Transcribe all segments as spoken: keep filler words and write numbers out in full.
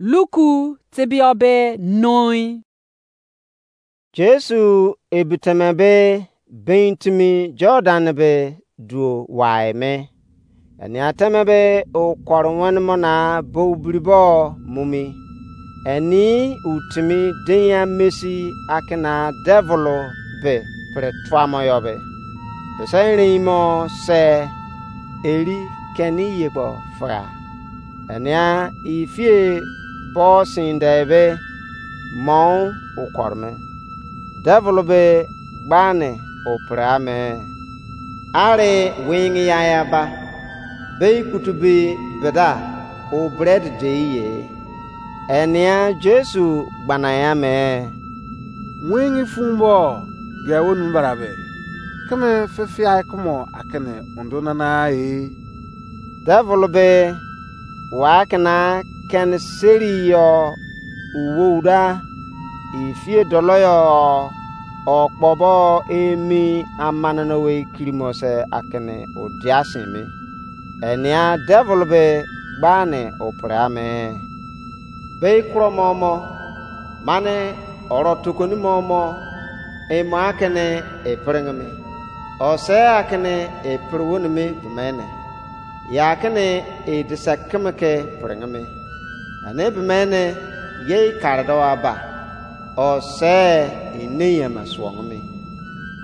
Luku tebia be noi. Jesu ebiteme be bein timi Jordan be duo wai me. Enia teme be okore wene mo na bou biribo mumi. Eni utimi deinya mesi akena devil be pre tuamo yo be. Bese erein mo se eri keni ye kpo fia. Enia ifie bo sin de be mou ukore me. Devil be gbani opre ame. Are wing ya ya ba. Be ikutu bi beda o bread de ye. Enia Jesu gbana ya me. Wing fun bo ge wonu barabe. Keme fefia kumo akene undo nana e. Devil be wa kena ken seri yo uwouda ifie dolo yo okpobo emi amanana wei kirimo se akene odia sin me. Enia devil be gbani opre ame. Be kuro mo mo mane oro tokoni mo mo emo akene epirenge me. Ose akene epiri woni me bemene. Ya kene edise keme ke pirenge me. Ane bemene ye ikare do aba. Ose ine yeme suonge me.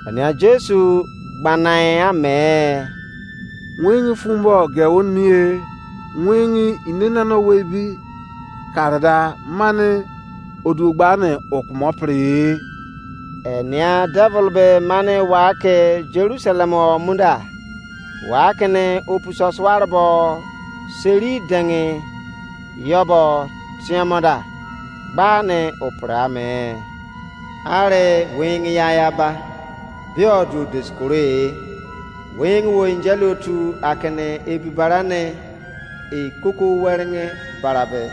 Ania Jesu gbanai ame. Wing fun bo ge won mie. Wing ine nana wei bi karada mane odu gbani okumo pre. Enia devil be mane wa ke Jerusalem o munda. Wa kene opuso suare bo seri dengi yobo tiamoda gbani opre ame. Are wing ya ya ba bio du diskure. Wing wo injeli otu akene ebibarane e koko weringe barabe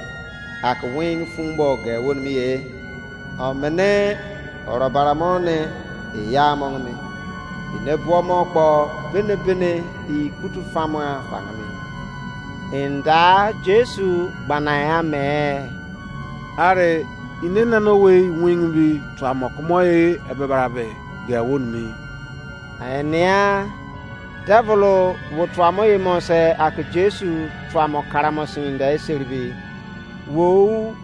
ake wing fun bo ge woni mi ye. Omene oro bara mo ne e ya mo mi. Ine buo mo kpo bene bene e kutu famua fange mi. Inda Jesu gbanai ame. Are ine nana wei wing bi tuamo kumo e ebe barabe ge woni mi. Enia devil wo tuamo ye mo se ake Jesu tuamo karamo sin de eseribi. Wo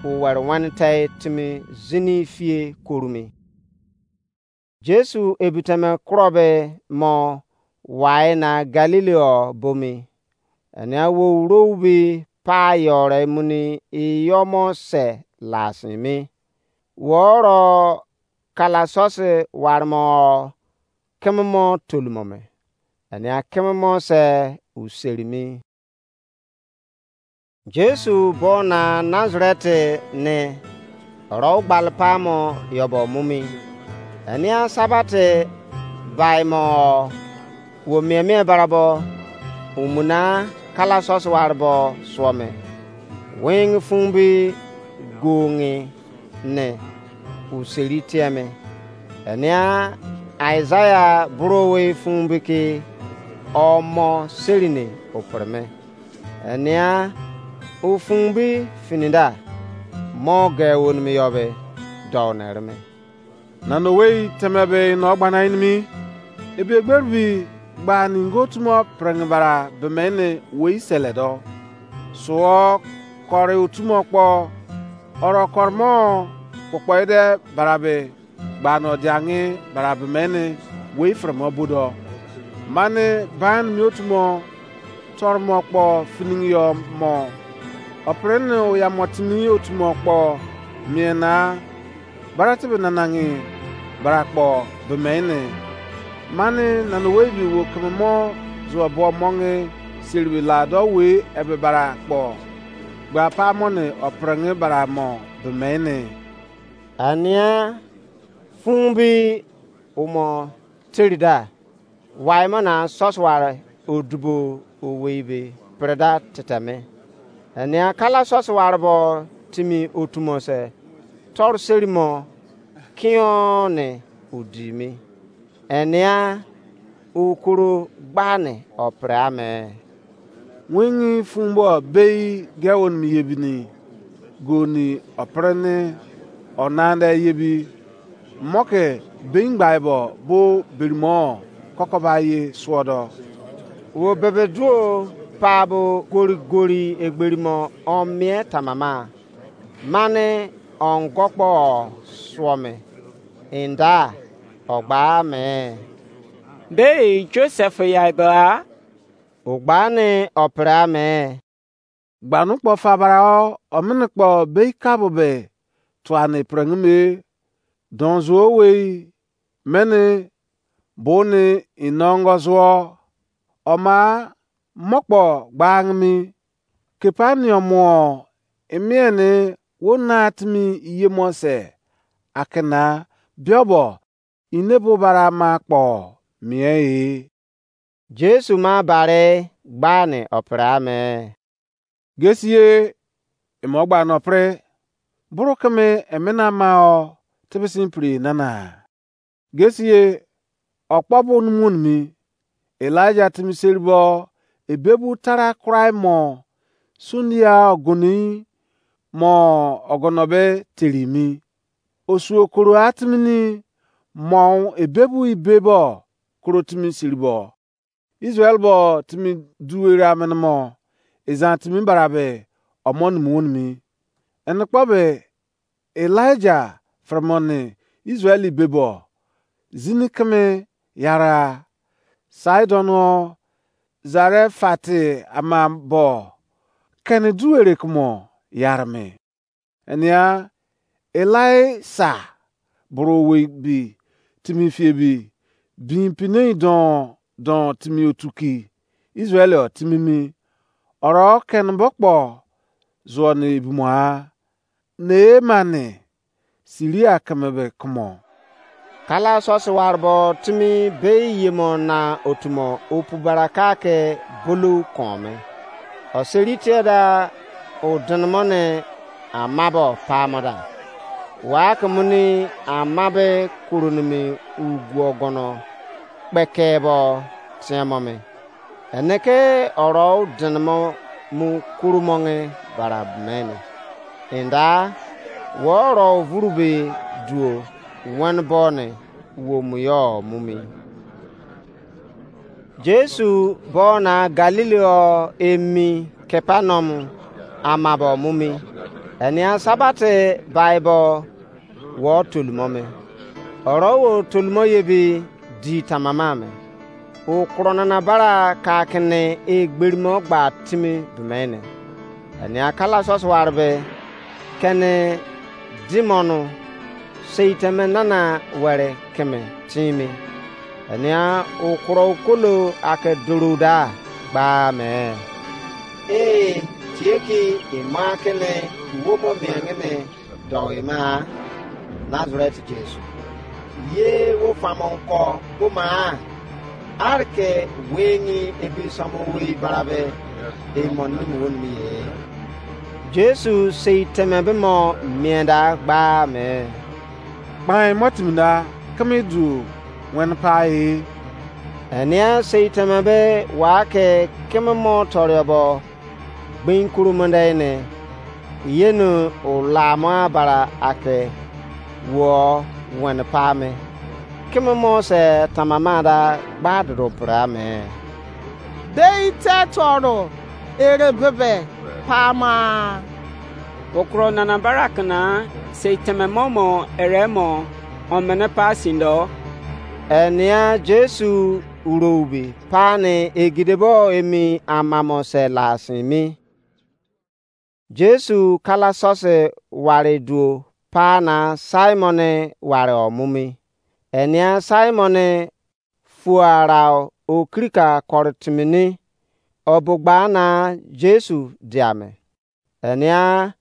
u were wene te timi zini fie korumi. Jesu ebiteme kuro be mo wai na Galili o bomi. Enia wo uro ubi pa yore muni iyomo se lasimi. Wo oro kala sosi warimo keme mo tolumo me. Enia keme mo se userimi. Jesu bo na Nazareth ne oro gbal pamo yobo mumi. Enia Sabbath bai mo wo mie mie barabo umuna kala sosi warbo suo me. Wing fun bi gongi ne useri tieme. Enia Isaiah buro wei fun bi ki omo seri ne opre me. Enia ufun bi finida mo ge wonimi yo be dou nere me. Nana owei teme be no gbana inimi. Ebi egberi bi gba ningo tumo preng bara bemene wei sele do. Suo kore otumo kpo oro kormo kpokpo ide barabe gba no diangi barabe mene wei fremo bodo. Mane ban mi otumo tormo kpo finingi yo mo. Oprene oyamo timi otumo kpo miena baratebe nanangi bara kpo bemene. Mane nana wei bi wo keme mo zuo bo monge siribi la do wei ebe bara kpo gba pa mo ne oprenge bara mo bemene. Ania fun bi umo terida. Wai mo na sosuwar odubo owei be pereda teteme. Ania kala sosuwar bo timi otumo se toru seri mo kion ne odi mi. Enia ukuru gbani opre ame. Wingi fun bo bei ge won mi yebini. goni opre ni onande yebi, mo ke beingbai bo bo berimo kokoba ye suodo. Wo bebe duo pa bo gori gori egberimo omie tamama, mane ongo kpo suo me, enda ogba me. Be Joseph yai ba? Ogba ne opre me. Gbanu kpo fabara o, omini kpo bei kabo be tuani prengime. Don zuo wei mene boni inongo zuo. Oma mokpo gbangimi. Kepanium o, imieni wo na timi iyemo se akena biobo inebo bara ma kpo mie e. Jesu ma bare gbani opre ame. Gesie, imo gba no pre, buru keme emena ma o tebisi pri nana. Gesie, okpo bo numu nimi, Elijah timi seribo ebebu tara kurai mo sundia ogoni mo ogono be terimi. Osuo koro atimini mo ebebu ibebo koro timi seribo. Israel bo timi duwere amene mo ezan timi barabe omo nimi wonimi. Ene kpo be Elijah fremo ne Israel ibebo zini keme yara Sidon o Zarefati ama bo kene duwere kumo yarame. Enia Elisa buru owei bi timi fie bi bin pinei don don timi otuki Israel o timi mi. Oro ken bo kpo zuo ne ebumoa ne mane Siria keme be kumo. Kala sosi warbo timi bei yemo na otumo opu baraka ke bulu kome. Oseri tie da udinimo ne amabo pamo da. Wa ke muni amabe kurunimi ugu ogono kpekebo tiemo me. Ene ke oro udinimo mu kurumonge bara mene. Enda wo oro vurube duo wen bo ne wo mu yo mumi. Jesu bo na Galili o emi Kapernaum amabo mumi. Enia Sabate bai bo wo tolumome. Oro wo tolumo ye bi di tamama me. O kuro nana bara ka kene egberimo gba timi bemene. Enia kala sosi warbe kene dimonu seiteme nana were keme timi. Enia okuro okolo ake doruda gba me. Ee, tie ki ima kene uwo mo miange me dou ima Nazareth Jesu. Ye wo famo ko ko ma arke wengi ebi somo wei barabe e mo ni mo ni ye. Jesu sei teme be mo mienda gba me. Kpai mo timi da keme du wen pa e. Enia sei teme be wa ke keme mo toriobo gbin kuru mende ne yenu ulamo abara ake wo wen pa me. Keme mo se tamama da gba dodo pra me. Dei te toro ere bebe pama. Okro nana barak na sei teme mo mo ere mo omene pa sindo. Enia Jesu uroubi pani egidebo emi amamo se la sin mi. Jesu kala sosi wari duo pa na Simon wari omumi. Enia Simon fuarau okirika kori timini obugba na Jesu diame. Enia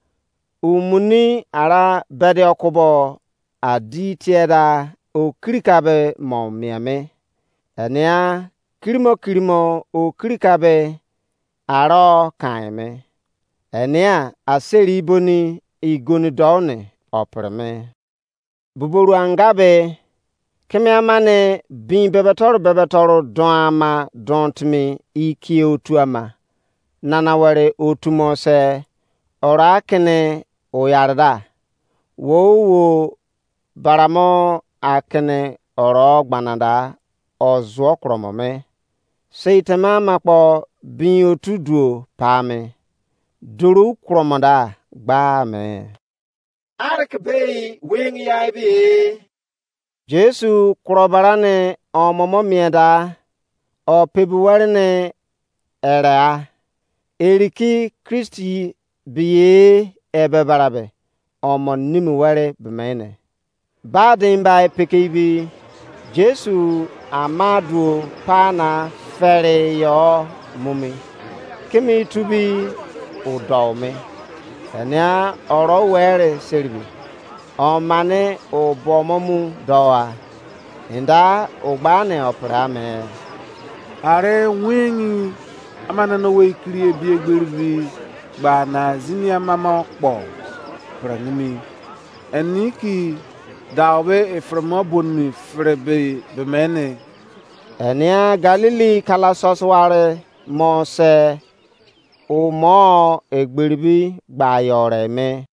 umuni ara bedi okubo adi tieda okirika be mo miemi. Enia kirimo kirimo okirika be aro kaime. Enia aseri boni igoni doune opreme. Buboru anga be keme ama ne bin bebetoru bebetoru don ama don timi ikie otu ama. Nana were otu mo se ora kene o yare da. Wo wo baramo akene oro gbana da, o zuo kromo me. Sei tema ama kpo bin otu duo pa me. Duru kromo da gba me. Arke bei weng yai be. Jesu kuro bara ne omomo mien da, o pebi were ne ere a. Eri ki Kristi biye ebe barabe, omo nimi were bemene. Ba den bai pekeibi, Jesu ama duo pa na fere yo mumi. Kimi tubi o dou me. Enia oro were seribi. Omane o bomo mu dou a. Enda o gba ne opere ame. Are wengi amana no wei kiri ebi egberibi gba na zini amama kpo pre nimi. Eni ki dau be efremo bonmi fere be bemene. Enia Galili kala sọsọ ware mo se o mo egberibi gba yore me.